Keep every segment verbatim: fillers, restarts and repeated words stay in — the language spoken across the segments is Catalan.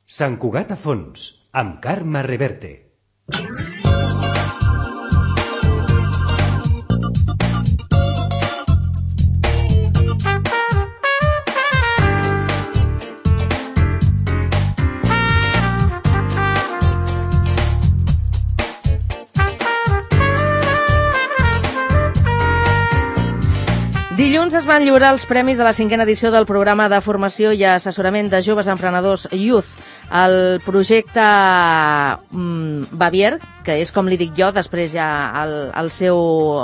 Sant Cugat a fons, amb Carme Reverte. Dilluns es van lliurar els premis de la cinquena edició del programa de formació i assessorament de joves emprenedors Youth. El projecte mm, Bavier, que és com li dic jo, després ja el, el seu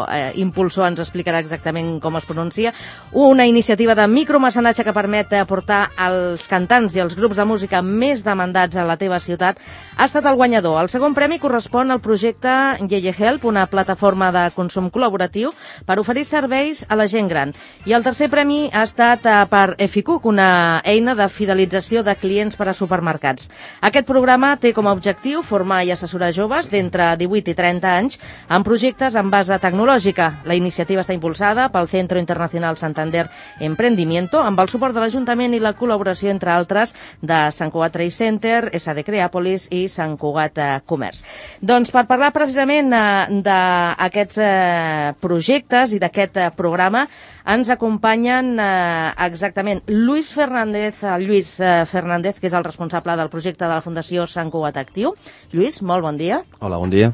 eh, impulsor ens explicarà exactament com es pronuncia, una iniciativa de micromecenatge que permet portar els cantants i els grups de música més demandats a la teva ciutat, ha estat el guanyador. El segon premi correspon al projecte Yeye Help, una plataforma de consum col·laboratiu per oferir serveis a la gent gran. I el tercer premi ha estat eh, per Eficuc, una eina de fidelització de clients per a supermercats. Aquest programa té com a objectiu formar i assessorar joves d'entre divuit i trenta anys en projectes en base tecnològica. La iniciativa està impulsada pel Centro Internacional Santander Emprendimiento amb el suport de l'Ajuntament i la col·laboració, entre altres, de Sant Cugat Trade Center, S D Creàpolis i Sant Cugat Comerç. Doncs per parlar precisament eh, d'aquests eh, projectes i d'aquest eh, programa ens acompanyen eh, exactament Lluís Fernández, Lluís eh, Fernández, que és el responsable del projecte de la Fundació Sant Cugat Actiu. Lluís, molt bon dia. Hola, bon dia.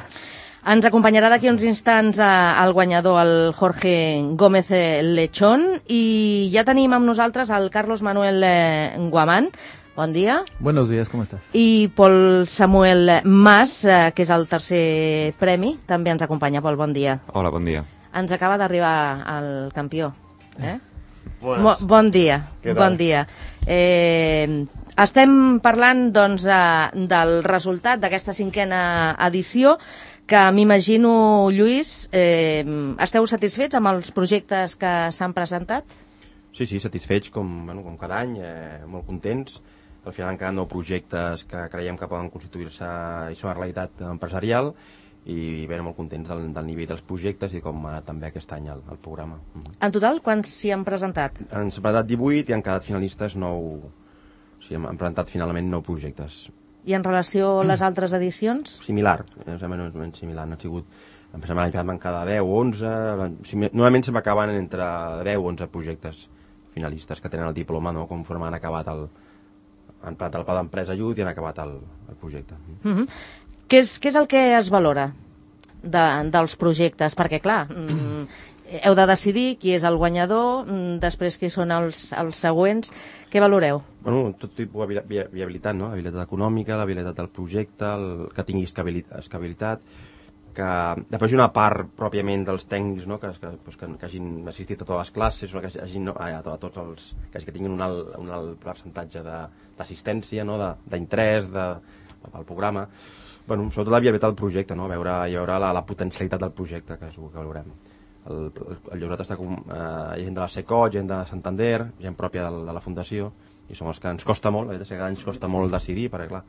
Ens acompanyarà d'aquí uns instants eh, el guanyador, el Jorge Gómez Lechón, i ja tenim amb nosaltres el Carlos Manuel eh, Guamán. Bon dia. Buenos días, ¿cómo estás? I Pol Samuel Mas, eh, que és el tercer premi, també ens acompanya. Pol, bon dia. Hola, bon dia. Ens acaba d'arribar el campió. Eh? Buenas. Mo bon dia. Què tal? Bon dia. Eh, estem parlant doncs, eh, del resultat d'aquesta cinquena edició, que m'imagino, Lluís, eh, esteu satisfets amb els projectes que s'han presentat? Sí, sí, satisfets com, bueno, com cada any, eh, molt contents. Al final han quedat nou projectes que creiem que poden constituir-se i són una realitat empresarial, i bé, molt contents del, del nivell dels projectes i com ha anat també aquest any el, el programa. Mm-hmm. En total, quants s'hi han presentat? Han presentat divuit i han quedat finalistes nou, o sigui, han presentat finalment nou projectes. I en relació a les altres edicions? Similar, eh, més o menys similar, han sigut, em sembla que van quedar deu o onze, normalment se m'acaben entre deu o onze projectes finalistes que tenen el diploma, no?, conforme han acabat el, han presentat el pla d'empresa Youth i han acabat el, el projecte. Mm-hmm. Què és, què és el que es valora de, dels projectes? Perquè, clar, mm, heu de decidir qui és el guanyador, mm, després qui són els, els següents. Què valoreu? Bueno, tot tipus de viabilitat, no? La viabilitat econòmica, la viabilitat del projecte, el, que tingui escabilitat, que després una part pròpiament dels tècnics, no? que, que, pues, que, que hagin assistit a totes les classes, que, hagin, no? a, a tots els, que, que tinguin un alt, un alt percentatge d'assistència, no? d'interès de, pel programa. Bueno, sobretot la viabilitat del projecte, no? veure, veure la, la potencialitat del projecte, que és el que valorem. El, el, el lloc està com eh, gent de la SECOT, gent de Santander, gent pròpia de, de la Fundació, i són els que ens costa molt, la veritat és que cada any ens costa molt decidir, perquè clar,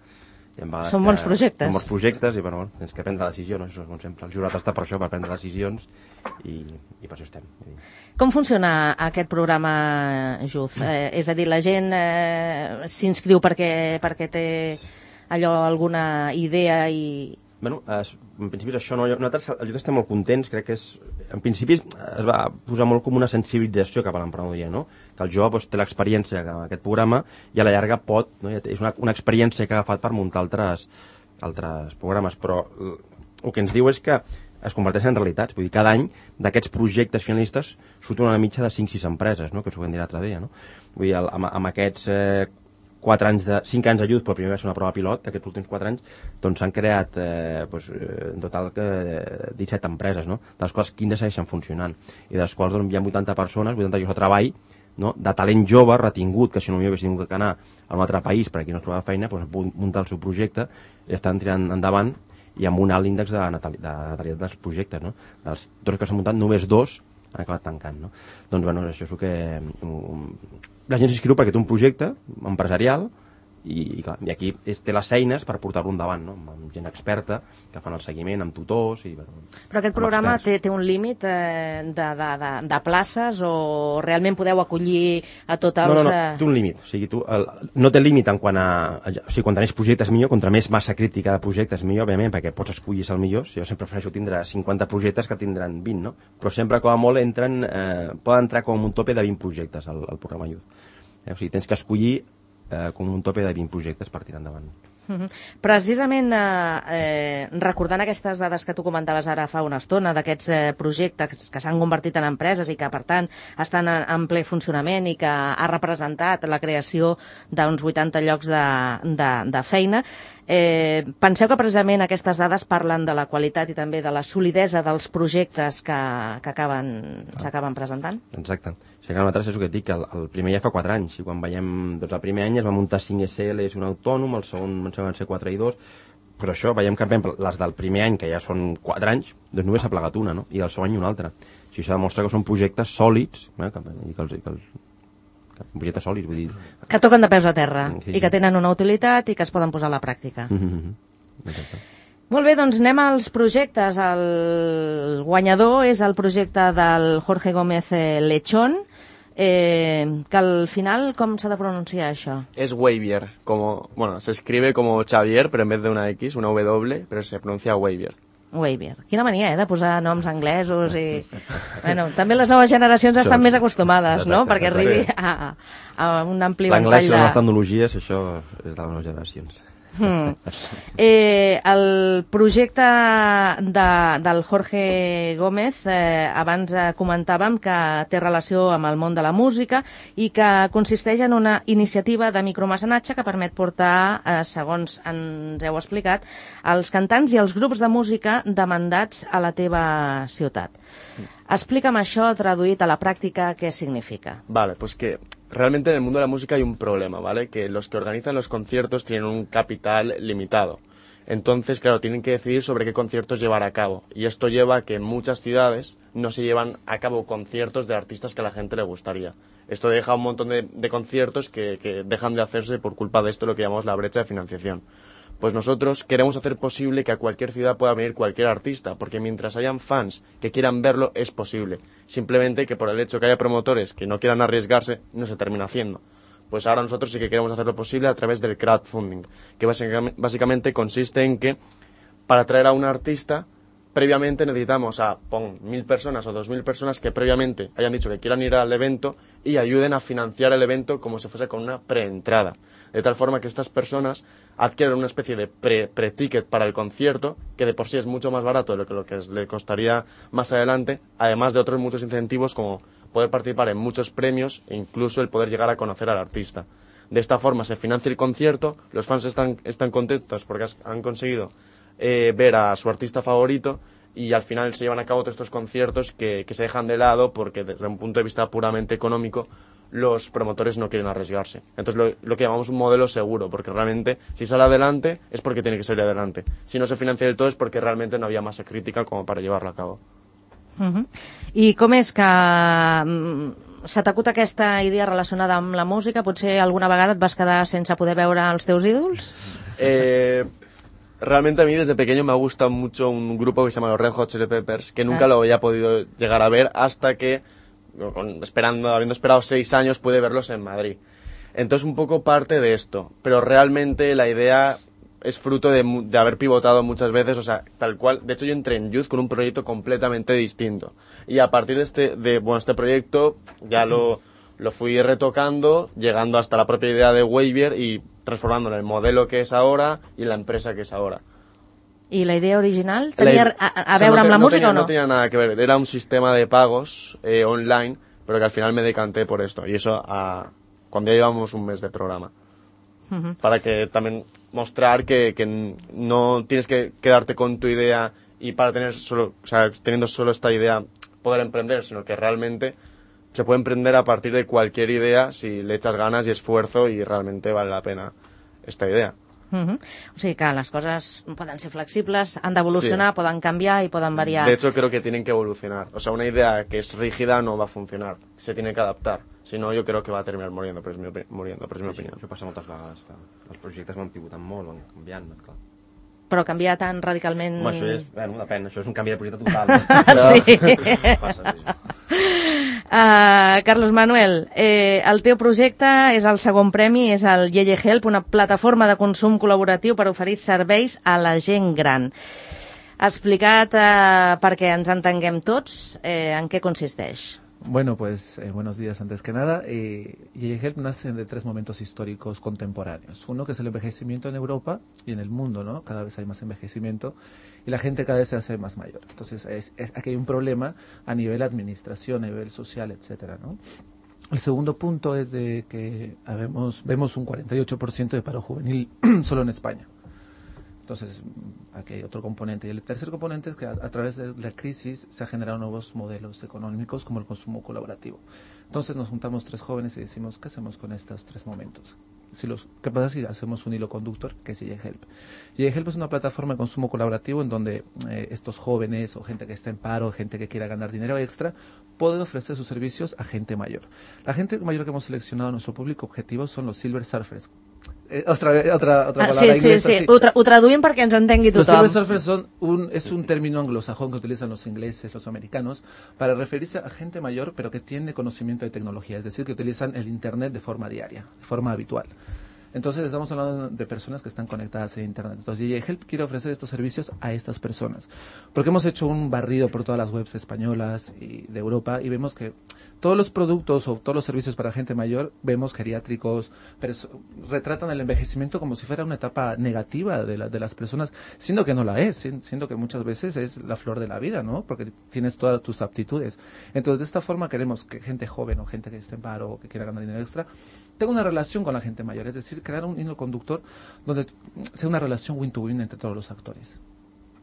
són bons projectes. Són bons projectes i bueno, tens que prendre decisions, no? Això, com sempre, el jurat està per això, per prendre decisions, i, i per això estem. Com funciona aquest programa Youth? Eh, és a dir, la gent eh, s'inscriu perquè, perquè té allò, alguna idea i... Bueno, es, en principi és això, no? Nosaltres, el Youth estem molt contents, crec que és... En principi es va posar molt com una sensibilització cap a l'emprenedoria, no? Que el jove doncs, té l'experiència amb aquest programa i a la llarga pot, no? És una, una experiència que ha agafat per muntar altres, altres programes, però el que ens diu és que es converteixen en realitats. Vull dir, cada any d'aquests projectes finalistes surten una mitja de cinc sis empreses, no? Que us ho vam dir l'altre dia, no? Vull dir, amb, amb aquests... Eh, quatre anys de, cinc anys de Youth, però primer va ser una prova pilot, d'aquests últims quatre anys, doncs s'han creat eh, doncs, en total eh, disset empreses, no? De les quals quinze segueixen funcionant, i de les quals doncs, hi ha vuitanta persones, vuitanta llocs de treball, no? De talent jove, retingut, que si no m'hi hagués tingut que anar a un altre país per aquí no es trobava feina, doncs muntar el seu projecte, i estan tirant endavant, i amb un alt índex de natalitat dels projectes, no? Dels dos que s'han muntat, només dos han acabat tancant, no? Doncs, bueno, això és el que... Um, la gent s'inscriu perquè té un projecte empresarial i, i, clar, i aquí és, té les eines per portar-lo endavant, no? Amb gent experta que fan el seguiment, amb tutors i, bueno, però aquest programa té, té un límit eh, de, de, de, de places o realment podeu acollir a tots els... No, no, no, té un límit, o sigui, tu, el, no té límit en quant a, a o sigui, quan tenés projectes millor, contra més massa crítica de projectes millor, òbviament, perquè pots escollir el millor. Jo sempre prefereixo tindre cinquanta projectes que tindran vint, no? Però sempre com a molt entren, eh, poden entrar com un tope de vint projectes al, al programa Youth. Eh? O sigui, tens que escollir eh, com un tope de vint projectes per tirar endavant. Uh-huh. Precisament eh, eh, recordant aquestes dades que tu comentaves ara fa una estona, d'aquests eh, projectes que s'han convertit en empreses i que per tant estan en, en ple funcionament i que ha representat la creació d'uns vuitanta llocs de, de, de feina, eh, penseu que precisament aquestes dades parlen de la qualitat i també de la solidesa dels projectes que, que acaben, s'acaben presentant? Exacte. O sigui que nosaltres és el que et dic, el, el primer ja fa quatre anys, i quan veiem, doncs el primer any es va muntar cinc S Ls, un autònom, el segon van ser quatre i dos, però això, veiem que les del primer any, que ja són quatre anys, doncs només s'ha plegat una, no? I el segon any una altra. O sigui, això demostra que són projectes sòlids, eh? que, i que els, que els, que projectes sòlids, vull dir... Que toquen de peus a terra, sí, i que tenen una utilitat i que es poden posar a la pràctica. Mm-hmm. Exacte. Molt bé, doncs anem als projectes. El guanyador és el projecte del Jorge Gómez Lechón, eh, que al final, com s'ha de pronunciar això? Es Wavier, como, bueno, se escribe como Xavier, pero en vez de una X, una W, pero se pronuncia Wavier. Wavier. Quina mania, eh, de posar noms anglesos i... Bueno, també les noves generacions estan més acostumades, no?, perquè arribi a, a un ampli ventall de... L'anglès i les tecnologies, això és de les noves generacions. Hmm. Eh, el projecte de, del Jorge Gómez, eh, abans eh, comentàvem que té relació amb el món de la música i que consisteix en una iniciativa de micromecenatge que permet portar, eh, segons ens heu explicat, els cantants i els grups de música demandats a la teva ciutat. Explica'm això traduït a la pràctica, què significa. Vale, pues que realmente en el mundo de la música hay un problema, ¿vale? Que los que organizan los conciertos tienen un capital limitado. Entonces, claro, tienen que decidir sobre qué conciertos llevar a cabo. Y esto lleva a que en muchas ciudades no se llevan a cabo conciertos de artistas que a la gente le gustaría. Esto deja un montón de, de conciertos que, que dejan de hacerse por culpa de esto, lo que llamamos la brecha de financiación. Pues nosotros queremos hacer posible que a cualquier ciudad pueda venir cualquier artista, porque mientras hayan fans que quieran verlo, es posible. Simplemente que por el hecho que haya promotores que no quieran arriesgarse, no se termina haciendo. Pues ahora nosotros sí que queremos hacerlo posible a través del crowdfunding, que básicamente consiste en que para traer a un artista, previamente necesitamos a, pon, mil personas o dos mil personas que previamente hayan dicho que quieran ir al evento y ayuden a financiar el evento como si fuese con una preentrada. De tal forma que estas personas adquieren una especie de pre, pre-ticket para el concierto, que de por sí es mucho más barato de lo que, lo que le costaría más adelante, además de otros muchos incentivos como poder participar en muchos premios e incluso el poder llegar a conocer al artista. De esta forma se financia el concierto, los fans están, están contentos porque han conseguido eh, ver a su artista favorito y al final se llevan a cabo todos estos conciertos que, que se dejan de lado porque desde un punto de vista puramente económico los promotores no quieren arriesgarse. Entonces lo, lo que llamamos un modelo seguro, porque realmente si sale adelante es porque tiene que salir adelante. Si no se financia del todo es porque realmente no había masa crítica como para llevarlo a cabo. Uh-huh. I com és que mm, s'ha t'acut aquesta idea relacionada amb la música? Potser alguna vegada et vas quedar sense poder veure els teus ídols? Eh... Realmente a mí desde pequeño me ha gustado mucho un grupo que se llama los Red Hot Chili Peppers, que nunca ah. lo había podido llegar a ver hasta que, esperando, habiendo esperado seis años, pude verlos en Madrid. Entonces un poco parte de esto, pero realmente la idea es fruto de, de haber pivotado muchas veces, o sea, tal cual. De hecho yo entré en Youth con un proyecto completamente distinto y a partir de este, de, bueno, este proyecto ya lo, lo fui retocando, llegando hasta la propia idea de Wavier y transformándolo en el modelo que es ahora y en la empresa que es ahora. ¿Y la idea original tenía la, a, a o sea, veure amb no, la no música tenía, o no? No tenía nada que ver, era un sistema de pagos eh, online, pero que al final me decanté por esto, y eso a, cuando ya llevamos un mes de programa. Uh-huh. Para que también mostrar que, que no tienes que quedarte con tu idea y para tener solo, o sea, teniendo solo esta idea poder emprender, sino que realmente se puede emprender a partir de cualquier idea si le echas ganas y esfuerzo y realmente vale la pena esta idea. Uh-huh. O sigui que les coses poden ser flexibles, han d'evolucionar, sí. Poden canviar y poden variar. De hecho, creo que tienen que evolucionar. O sea, una idea que es rígida no va a funcionar. Se tiene que adaptar. Si no, yo creo que va a terminar muriendo, però és mi, opi muriendo, però és mi sí, opinió. Sí, això passa moltes vegades, clar. Els projectes van pivotant molt, van canviant, clar. Però canviar tan radicalment... Home, això és... Bueno, depèn, això és un canvi de projecte total. Sí. Passa, sí. Uh, Carlos Manuel, eh, el teu projecte és el segon premi, és el Yeye Help, una plataforma de consum col·laboratiu per oferir serveis a la gent gran. Explicat eh, perquè ens entenguem tots, eh, en què consisteix? Bueno, pues eh, buenos días antes que nada. Eh, Yeye Help nace de tres momentos históricos contemporáneos. Uno que es el envejecimiento en Europa y en el mundo, ¿no? Cada vez hay más envejecimiento y la gente cada vez se hace más mayor. Entonces, es, es, aquí hay un problema a nivel administración, a nivel social, etcétera, ¿no? El segundo punto es de que habemos, vemos un cuarenta y ocho por ciento de paro juvenil solo en España. Entonces, aquí hay otro componente. Y el tercer componente es que a, a través de la crisis se han generado nuevos modelos económicos como el consumo colaborativo. Entonces nos juntamos tres jóvenes y decimos, ¿qué hacemos con estos tres momentos? Si los, ¿Qué pasa si hacemos un hilo conductor que es Yeye Help? Yeye Help es una plataforma de consumo colaborativo en donde eh, estos jóvenes o gente que está en paro, gente que quiera ganar dinero extra, puede ofrecer sus servicios a gente mayor. La gente mayor que hemos seleccionado, nuestro público objetivo, son los Silver Surfers. Eh, otra, otra, otra ah, palabra sí, inglesa. Sí, sí, sí. Ho, tra ho traduïm perquè ens entengui tothom. Los Silver Surfers son un, es un término anglosajón que utilizan los ingleses, los americanos, para referirse a gente mayor, pero que tiene conocimiento de tecnología, es decir, que utilizan el Internet de forma diaria, de forma habitual. Entonces estamos hablando de personas que están conectadas a Internet. Entonces Yeye Help quiere ofrecer estos servicios a estas personas. Porque hemos hecho un barrido por todas las webs españolas y de Europa y vemos que todos los productos o todos los servicios para gente mayor, vemos geriátricos, pero retratan el envejecimiento como si fuera una etapa negativa de, la, de las personas, siendo que no la es, siendo que muchas veces es la flor de la vida, ¿no? Porque tienes todas tus aptitudes. Entonces de esta forma queremos que gente joven o gente que esté en paro o que quiera ganar dinero extra tenga una relación con la gente mayor, es decir, crear un hilo conductor donde sea una relación win-to-win entre todos los actores.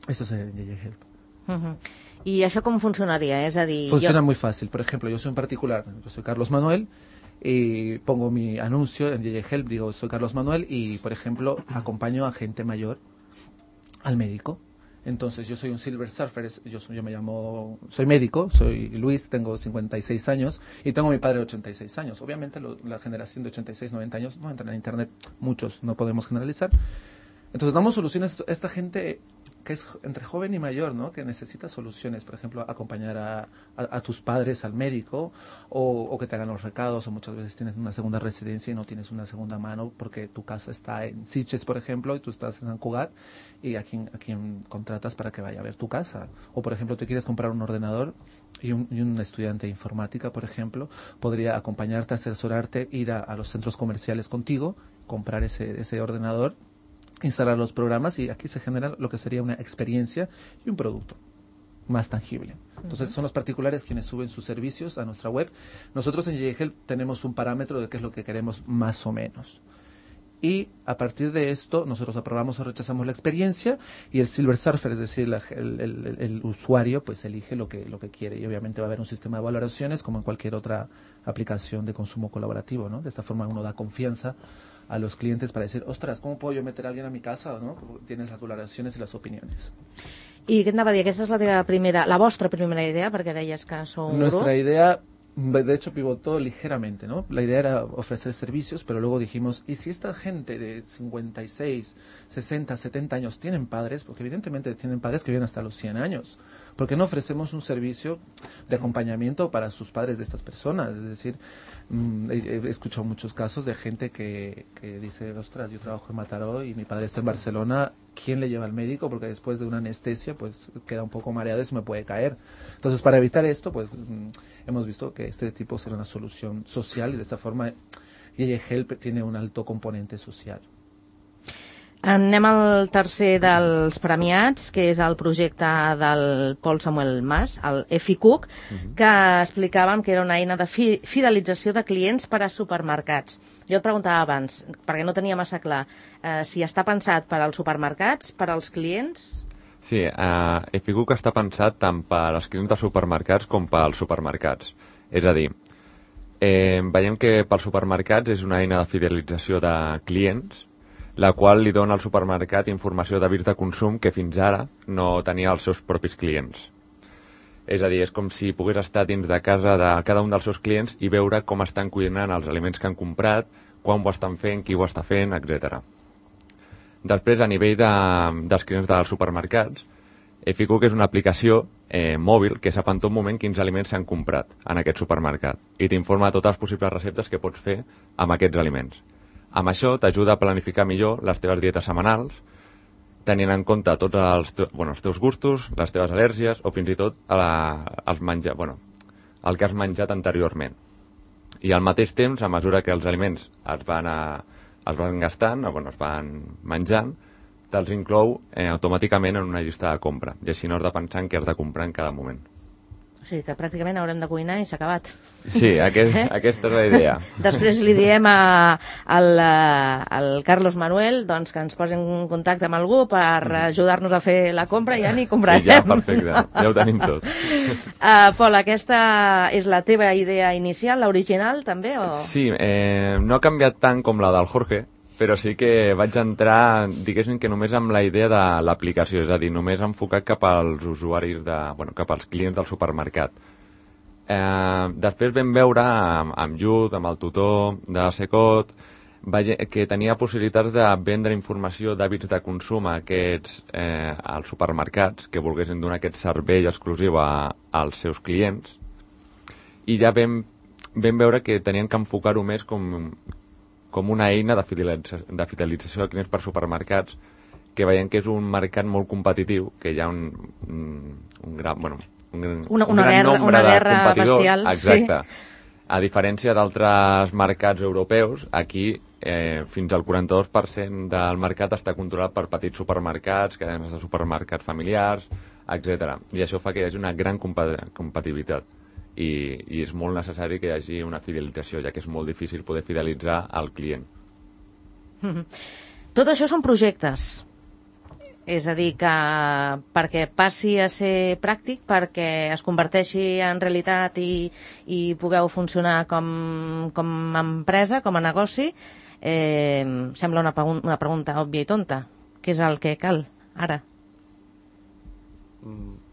Eso es el Yeye Help. Uh-huh. ¿Y això com funcionaria? És a dir, Funciona jo... muy fácil. Por ejemplo, yo soy un particular, yo soy Carlos Manuel, y pongo mi anuncio en Yeye Help, digo, soy Carlos Manuel, y, por ejemplo, acompaño a gente mayor al médico. Entonces, yo soy un Silver Surfer, yo, soy, yo me llamo, soy médico, soy Luis, tengo cincuenta y seis años, y tengo a mi padre de ochenta y seis años. Obviamente, lo, la generación de ochenta y seis, noventa años no entran en Internet, muchos, no podemos generalizar. Entonces, damos soluciones a esta gente que es entre joven y mayor, ¿no? Que necesita soluciones, por ejemplo, acompañar a, a, a tus padres al médico o, o que te hagan los recados, o muchas veces tienes una segunda residencia y no tienes una segunda mano porque tu casa está en Sitges, por ejemplo, y tú estás en San Cugat y a quien, a quien contratas para que vaya a ver tu casa. O, por ejemplo, te quieres comprar un ordenador y un, y un estudiante de informática, por ejemplo, podría acompañarte, asesorarte, ir a, a los centros comerciales contigo, comprar ese, ese ordenador, instalar los programas y aquí se genera lo que sería una experiencia y un producto más tangible. Entonces, uh-huh. son los particulares quienes suben sus servicios a nuestra web. Nosotros en Yeye Help tenemos un parámetro de qué es lo que queremos más o menos. Y a partir de esto, nosotros aprobamos o rechazamos la experiencia y el Silver Surfer, es decir, la, el, el, el usuario, pues elige lo que, lo que quiere. Y obviamente va a haber un sistema de valoraciones como en cualquier otra aplicación de consumo colaborativo, ¿no? De esta forma uno da confianza a los clientes para decir, ostras, ¿cómo puedo yo meter a alguien a mi casa? ¿No? Tienes las valoraciones y las opiniones. I què anava a dir? Aquesta és la teva primera, la vostra primera idea, perquè deies que sou un Nuestra grup. idea, de hecho, pivotó ligeramente, ¿no? La idea era ofrecer servicios, pero luego dijimos, ¿y si esta gente de cincuenta y seis, sesenta, setenta años tienen padres? Porque evidentemente tienen padres que viven hasta los cien años. ¿Por qué no ofrecemos un servicio de acompañamiento para sus padres de estas personas? Es decir, mmm, he, he escuchado muchos casos de gente que, que dice, ostras, yo trabajo en Mataró y mi padre está en Barcelona, ¿quién le lleva al médico? Porque después de una anestesia pues queda un poco mareado y se me puede caer. Entonces, para evitar esto, pues mmm, hemos visto que este tipo será una solución social y de esta forma Yeye Help tiene un alto componente social. Anem al tercer dels premiats, que és el projecte del Pol Samuel Mas, el EFICUC, uh-huh. que explicàvem que era una eina de fi fidelització de clients per a supermercats. Jo et preguntava abans, perquè no tenia massa clar, eh, si està pensat per als supermercats, per als clients... Sí, uh, EFICUC està pensat tant per als clients dels supermercats com pels supermercats. És a dir, eh, veiem que pels supermercats és una eina de fidelització de clients, la qual li dona al supermercat informació d'hàbits de consum que fins ara no tenia els seus propis clients. És a dir, és com si pogués estar dins de casa de cada un dels seus clients i veure com estan cuinant els aliments que han comprat, quan ho estan fent, qui ho està fent, etcètera. Després, a nivell de, dels clients dels supermercats, Eficook és una aplicació eh, mòbil que sap en tot moment quins aliments s'han comprat en aquest supermercat i t'informa de totes les possibles receptes que pots fer amb aquests aliments. Amb això t'ajuda a planificar millor les teves dietes setmanals, tenint en compte tots els, te bueno, els teus gustos, les teves al·lèrgies o fins i tot la, els menjar, bueno, el que has menjat anteriorment. I al mateix temps, a mesura que els aliments es van, a, es van gastant, o, bueno, es van menjant, te'ls inclou eh, automàticament en una llista de compra. I així no has de pensar en què has de comprar en cada moment. O sigui que pràcticament haurem de cuinar i s'ha acabat. Sí, aquest, eh? aquesta és la idea. Després li diem a, al, al Carlos Manuel doncs, que ens posi en contacte amb algú per ajudar-nos a fer la compra i ja ni comprarem. I ja, perfecte, ja ho tenim tot. Uh, Pol, aquesta és la teva idea inicial, l'original també? O... Sí, eh, no ha canviat tant com la del Jorge, però sí que vaig entrar, diguéssim que només amb la idea de l'aplicació, és a dir, només enfocat cap als usuaris, de, bueno, cap als clients del supermercat. Eh, després vam veure amb, amb Youth, amb el tutor de Secot, que tenia possibilitats de vendre informació d'hàbits de consum a aquests, eh, als supermercats que volguessin donar aquest servei exclusiu a, als seus clients, i ja vam, vam veure que tenien que enfocar-ho més com... com una eina de fidelització, de fidelització de clients per supermercats, que veiem que és un mercat molt competitiu, que hi ha un, un, un gran, bueno, un, una, un una gran guerra, nombre una de guerra competidors. bestial. Exacte. Sí. A diferència d'altres mercats europeus, aquí eh, fins al quaranta-dos per cent del mercat està controlat per petits supermercats, cadenes de supermercats familiars, etcètera. I això fa que hi hagi una gran competitivitat. I, i és molt necessari que hi hagi una fidelització, ja que és molt difícil poder fidelitzar al client. Mm-hmm. Tot això són projectes. És a dir, que perquè passi a ser pràctic, perquè es converteixi en realitat i, i pugueu funcionar com, com a empresa, com a negoci, eh, sembla una, una pregunta òbvia i tonta. Què és el que cal ara? Mm.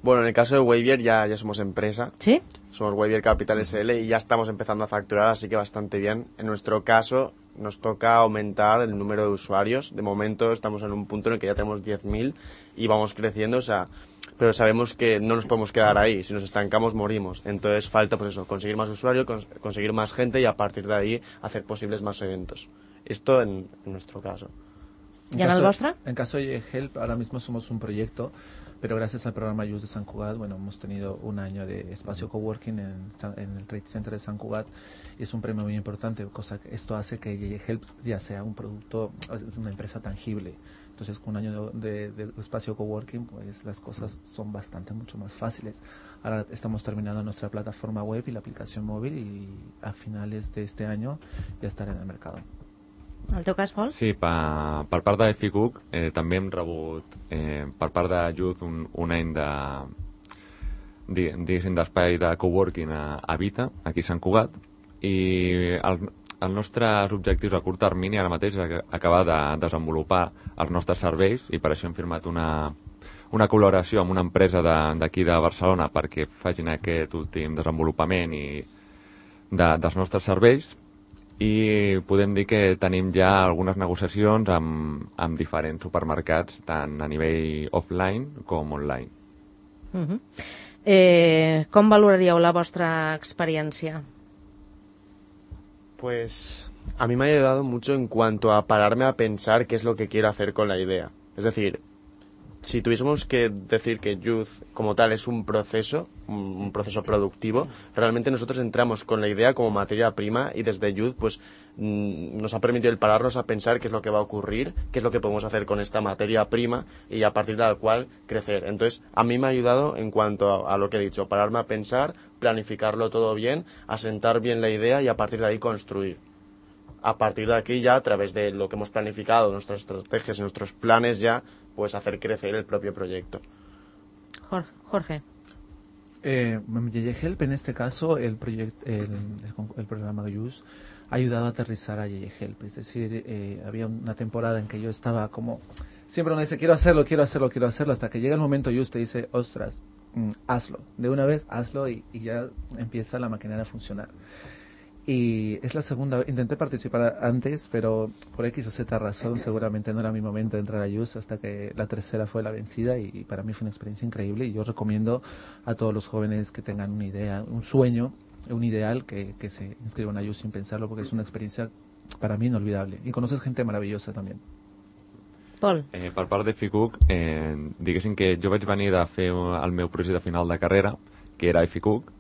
Bueno, en el caso de Waybier ya, ya somos empresa. ¿Sí? Somos Waybier Capital S L y ya estamos empezando a facturar, así que bastante bien. En nuestro caso nos toca aumentar el número de usuarios. De momento estamos en un punto en el que ya tenemos diez mil y vamos creciendo, o sea, pero sabemos que no nos podemos quedar ahí. Si nos estancamos, morimos. Entonces falta, pues eso, conseguir más usuarios, cons conseguir más gente y a partir de ahí hacer posibles más eventos. Esto en, en nuestro caso. ¿Y en, en el vuestro? En caso de Help, ahora mismo somos un proyecto, pero gracias al programa Youth de San Cugat, bueno, hemos tenido un año de espacio coworking en, en el Trade Center de San Cugat y es un premio muy importante, cosa que esto hace que J J Help ya sea un producto, es una empresa tangible. Entonces, con un año de, de, de espacio coworking, pues las cosas son bastante, mucho más fáciles. Ahora estamos terminando nuestra plataforma web y la aplicación móvil y a finales de este año ya estará en el mercado. En el teu cas, Pol? Sí, per, per part d'Eficook eh, també hem rebut eh, per part de Youth un, un any de diguéssim d'espai de coworking a, a Vita, aquí a Sant Cugat, i el, els nostres objectius a curt termini ara mateix és acabar de desenvolupar els nostres serveis i per això hem firmat una, una col·laboració amb una empresa d'aquí de, de Barcelona perquè facin aquest últim desenvolupament i de, dels nostres serveis. I podem dir que tenim ja algunes negociacions amb, amb diferents supermercats, tant a nivell offline com online. Uh-huh. eh, com valoraríeu la vostra experiència? Pues a mí me ha ayudado mucho en cuanto a pararme a pensar qué es lo que quiero hacer con la idea. Es decir, si tuviésemos que decir que Youth como tal es un proceso, un proceso productivo, realmente nosotros entramos con la idea como materia prima y desde Youth pues nos ha permitido el pararnos a pensar qué es lo que va a ocurrir, qué es lo que podemos hacer con esta materia prima y a partir de la cual crecer. Entonces, a mí me ha ayudado en cuanto a, a lo que he dicho, pararme a pensar, planificarlo todo bien, asentar bien la idea y a partir de ahí construir. A partir de aquí ya, a través de lo que hemos planificado, nuestras estrategias y nuestros planes ya, pues hacer crecer el propio proyecto. Jorge. Eh, J J Help, en este caso, el, proyecto, el, el, el programa Youth ayudado a aterrizar a Yeye Help. Es decir, eh, había una temporada en que yo estaba como, siempre uno dice, quiero hacerlo, quiero hacerlo, quiero hacerlo, hasta que llega el momento y usted dice, ostras, mm, hazlo, de una vez hazlo y, y ya empieza la maquinaria a funcionar. Y es la segunda vez, intenté participar antes, pero por X o Z razón seguramente no era mi momento de entrar a Youth, hasta que la tercera fue la vencida, y, y para mí fue una experiencia increíble, y yo recomiendo a todos los jóvenes que tengan una idea, un sueño, un ideal, que, que se inscriban a Youth sin pensarlo, porque es una experiencia para mí inolvidable, y conoces gente maravillosa també. Pol. Eh, per part de FICUC, eh, diguéssim que jo vaig venir de fer el meu projecte final de carrera, que era FICUC,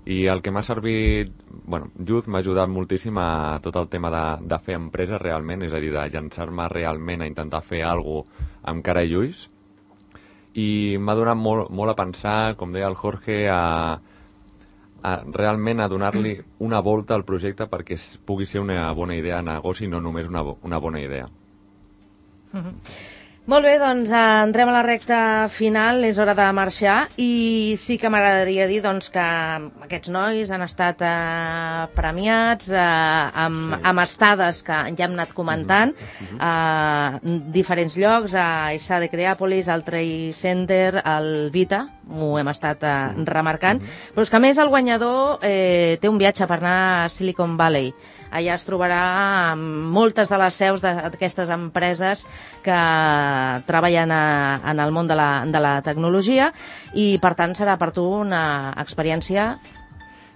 i el que m'ha servit, bueno, Youth m'ha ajudat moltíssim a tot el tema de, de fer empresa realment, és a dir, de llançar-me realment a intentar fer alguna cosa amb cara i ulls, i m'ha donat molt, molt a pensar, com deia el Jorge, a, a realment a donar-li una volta al projecte perquè pugui ser una bona idea de negoci, no només una, una bona idea. Mm-hmm. Molt bé, doncs eh, entrem a la recta final, és hora de marxar, i sí que m'agradaria dir doncs, que aquests nois han estat eh, premiats eh, amb, sí. amb estades que ja hem anat comentant a eh, diferents llocs, a Issa de Creàpolis, al Trade Center, al Vita, ho hem estat eh, remarcant, però és que a més el guanyador eh, té un viatge per anar a Silicon Valley. Allà es trobarà amb moltes de les seus d'aquestes empreses que treballen a, en el món de la, de la tecnologia, i per tant serà per tu una experiència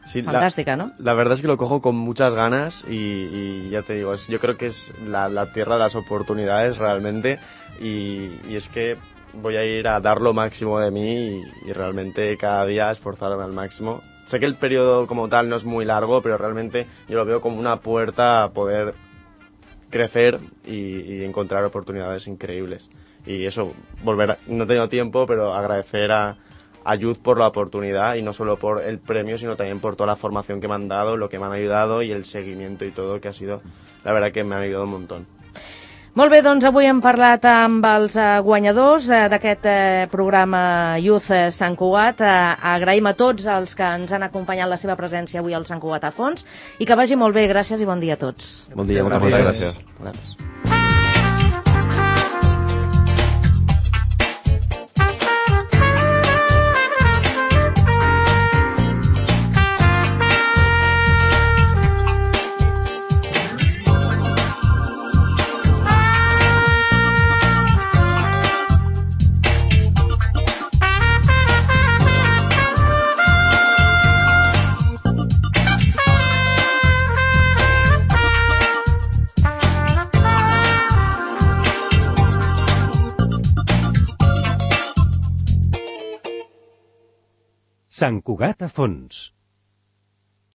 sí, fantástica, la, ¿no? La verdad es que lo cojo con muchas ganas y, y ya te digo, es, yo creo que es la, la tierra de las oportunidades realmente, y, y es que voy a ir a dar lo máximo de mí y, y realmente cada día esforzarme al máximo. Sé que el periodo como tal no es muy largo, pero realmente yo lo veo como una puerta a poder crecer y, y encontrar oportunidades increíbles. Y eso, volver a, no he tenido tiempo, pero agradecer a, a Youth por la oportunidad, y no solo por el premio, sino también por toda la formación que me han dado, lo que me han ayudado y el seguimiento y todo, que ha sido, la verdad que me ha ayudado un montón. Molt bé, doncs avui hem parlat amb els eh, guanyadors eh, d'aquest eh, programa Youth eh, Sant Cugat. Eh, agraïm a tots els que ens han acompanyat la seva presència avui al Sant Cugat a fons, i que vagi molt bé. Gràcies i bon dia a tots. Bon dia, moltes gràcies. gràcies. Sant Cugat a fons.